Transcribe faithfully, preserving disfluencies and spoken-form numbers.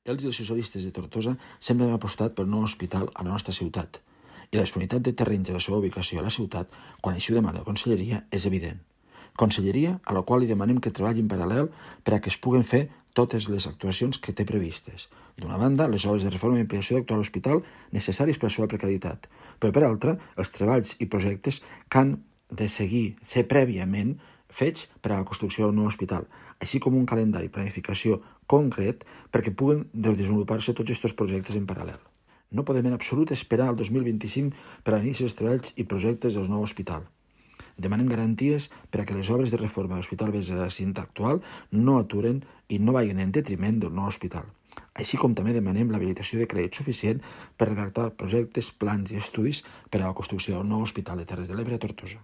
Els i els socialistes de Tortosa sempre han apostat pel nou hospital a la nostra ciutat i la disponibilitat de terrenys i la seva ubicació a la ciutat, quan així ho demana la Conselleria, és evident. Conselleria a la qual li demanem que treballi en paral·lel per a que es puguen fer totes les actuacions que té previstes. D'una banda, les obres de reforma i ampliació de l'actual hospital necessàries per a la seva precarietat, però per altra, els treballs i projectes que han de seguir, ser prèviament fets per a la construcció del nou hospital, així com un calendari i planificació concret perquè puguen desenvolupar-se tots aquests projectes en paral·lel. No podem en absolut esperar al dos mil vint-i-cinc per a l'iniciar els treballs i projectes del nou hospital. Demanem garanties per a que les obres de reforma de l'Hospital Besa de la cinta actual no aturen i no vagin en detriment del nou hospital. Així com també demanem l'habilitació de crèdit suficient per redactar projectes, plans i estudis per a la construcció del nou Hospital de Terres de l'Ebre a Tortosa.